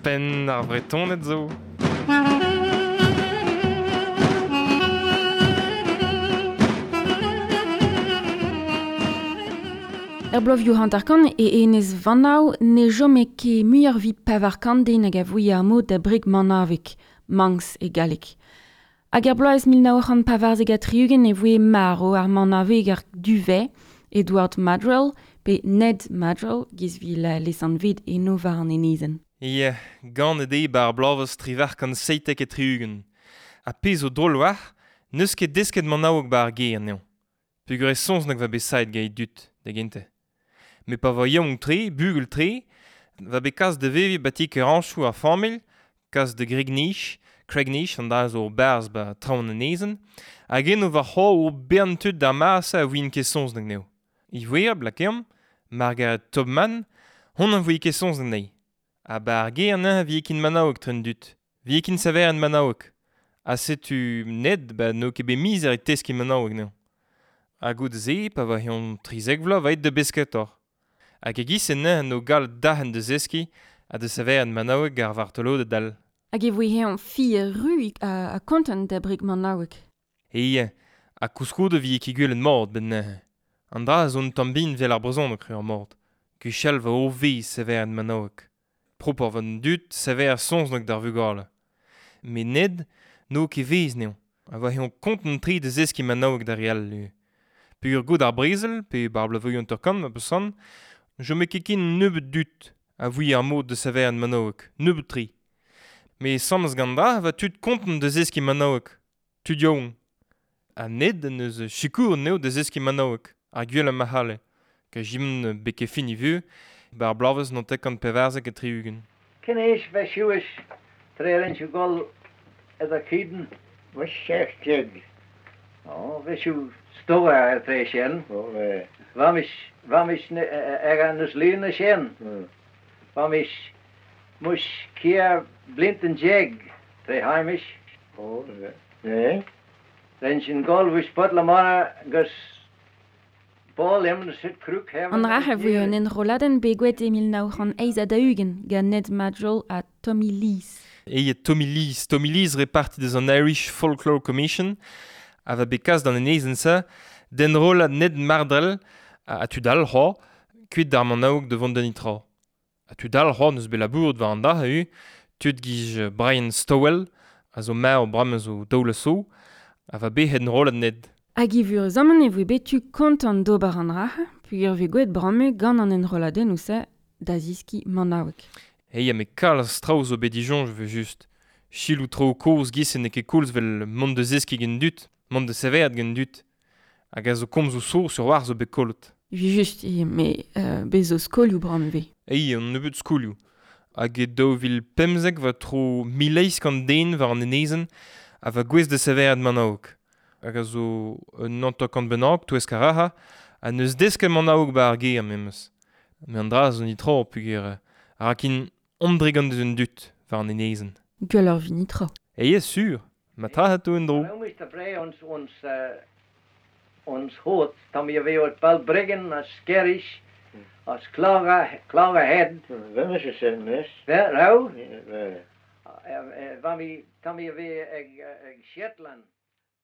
Penn ar Vretoned zo. Er bloavezhioù 50 e enez Vanav ne chome ket muioc'h evit 400 den hag a voe ar mod da breg manaveg, Manx e galleg. Hag er bloaz 1974 e voe marv ar manaveger duvet Edward Maddrell pe Ned Maddrell giz vil lesanvet eno war an enezenn. Ya, ganet eo 'ba ar bloavezh 1877. Ha pezh zo drol war, n'eus ket desket manaoueg 'ba ar gêr anezhañ. Peogwir e soñj nag va bet saet gant e dud, da gentañ. Met pa voa yaouank-tre, bugel-tre, va bet kas da veviñ 'ba ti Kerañchoù ar familh, kas da Gregnich, Craignish an dra zo 'barzh 'ba traoñ an enezenn, hag eno va c'horr o bern tud d'ar mare-se a voent ket soñj anezho. Ivez, lakaomp, Margaret Tubman, hon a voe ket soñj anezhi. Ha 'ba ar gêr neuze 'vije ket manaoueg tre an dud. 'Vije ket saverien manaoueg. Ha setu Ned ba n'eo ket bet mizer e teskiñ manaoueg anezhañ. Ha goude-se, pa oa eñ 13 vloaz, 'va aet da besketoc'h. Hag e-giz-se neuze n'o gallet derc'hen da zeskiñ ha da saverien manaoueg ar vartoloded all. Hag e voe eñ fier-ru ha kontant da breg manaoueg. Eñ, ha koulskoude 'vije ket gwelet mat 'benn neuze. An dra zo un tamm bihan 'vel ar brezhoneg eo ar mat. Gwechall 'vo ur vezh saverien manaoueg. Propoc'h 'vo an dud saver soñj d'ar vugale. Met Ned n'eo ket vezh anezhañ. Ha 'vo eñ kontant-tre da zeskiñ manaoueg d'ar re all ivez. Peogwir goude ar brezel, pe 'ba ar bloavezhioù 50 ma peus c'hoant, ne chome ket ken nebeut dud a voe ar mod da saverien manaoueg, nebeut-tre. Met asambles gant dra e vo tud kontant da zeskiñ manaoueg, tud yaouank. Ha Ned en deus sikouret anezho da zeskiñ manaoueg, ar gwellañ ma c'halle. Kajimon betek fin e vuhez, 'ba ar bloavezh 1974. Cén aois bheith suas tar éis an gol idir Keaton? Bheith 17. Ó, bheith siú stór ar tar éis sin. Ó, bheith. Bhaimis, bhaimis ag an nus líon sin. Bhaimis muis 14 blianta tar éis Ó, bheith. Bheith. Rinne sin gol bhís butla mara gus An rac'h a voe un enrolladenn begouezhet e 1948 gant Ned Maddrell ha Tommy Lees. Eo Tommy Lees. Tommy Lees reparti deus an Irish Folklore Commission a va bet kas d'an enezenn-se d'enrollañ Ned Maddrell ha tud all c'hoazh kuit d'ar Manaoueg da vont da netra. Ha tud all c'hoazh n'eus bet labouret war an dra ivez, tud giz Brian Stowell a zo marv bremañ zo daou zo a va bet enrollet Ned. Hag evuruzamant e voe bet tu kontant d'ober an dra-se peogwir e voe gwelet bremañ gant an enrolladennoù-se da zeskiñ manaoueg. Eya, met kalz traoù zo bet disoñj evel-just. Selaou traoù kozh 'giz-se n'eo ket koulz 'vel mont da zeskiñ gant dud, mont da sevenaat gant dud. Hag a zo komzoù sourd sur war zo bet kollet. Evel-just eo, met bez zo skolioù bremañ ivez. Eya, un nebeud skolioù. Hag e 2015 'vo tro 1800 den war an enezenn a va gouest da sevenaat manaoueg. Hag a zo un 50 bennak touesk ar rac'hañ ha n'eus desket manaoueg 'ba ar gêr memes. Met an dra zo netra peogwir a ra ken hon-dregont deus an dud war an enezenn. Gwelloc'h 'vit netra. Eya sur, ma tra atao en-dro. Ons hoort tam je weer Balbriggan as Skerries as Clogherhead. Bheith mise sin anois. Bheith raibh? Bheith. Bha mi tam je weer ag Shetland.